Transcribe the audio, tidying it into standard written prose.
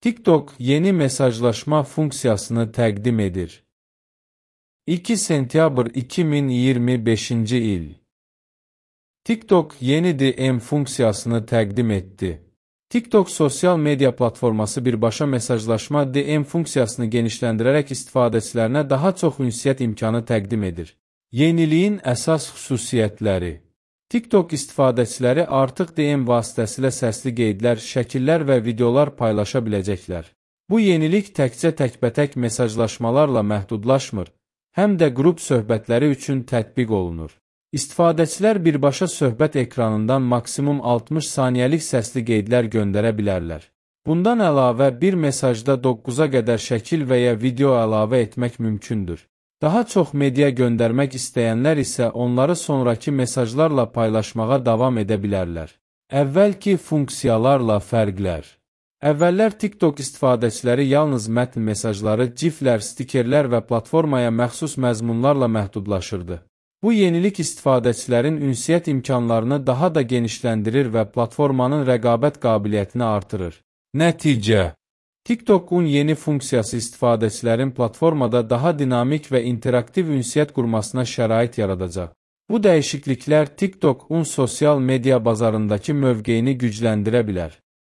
TikTok yeni mesajlaşma funksiyasını təqdim edir. 2 sentyabr 2025-ci il. TikTok yeni DM funksiyasını təqdim etdi. TikTok sosial media platforması birbaşa mesajlaşma DM funksiyasını genişləndirərək istifadəçilərinə daha çox ünsiyyət imkanı təqdim edir. Yeniliyin əsas xüsusiyyətləri. TikTok istifadəçiləri artıq DM vasitəsilə səsli qeydlər, şəkillər və videolar paylaşa biləcəklər. Bu yenilik təkcə təkbətək mesajlaşmalarla məhdudlaşmır, həm də qrup söhbətləri üçün tətbiq olunur. İstifadəçilər birbaşa söhbət ekranından maksimum 60 saniyəlik səsli qeydlər göndərə bilərlər. Bundan əlavə bir mesajda 9-a qədər şəkil və ya video əlavə etmək mümkündür. Daha çox media göndərmək istəyənlər isə onları sonraki mesajlarla paylaşmağa davam edə bilərlər. Əvvəlki funksiyalarla fərqlər. Əvvəllər TikTok istifadəçiləri yalnız mətn mesajları, giflər, stikerlər və platformaya məxsus məzmunlarla məhdudlaşırdı. Bu yenilik istifadəçilərin ünsiyyət imkanlarını daha da genişləndirir və platformanın rəqabət qabiliyyətini artırır. Nəticə: TikTok'un yeni funksiyası istifadəçilərin platformada daha dinamik və interaktiv ünsiyyət qurmasına şərait yaradacaq. Bu dəyişikliklər TikTok'un sosial media bazarındakı mövqeyini gücləndirə bilər.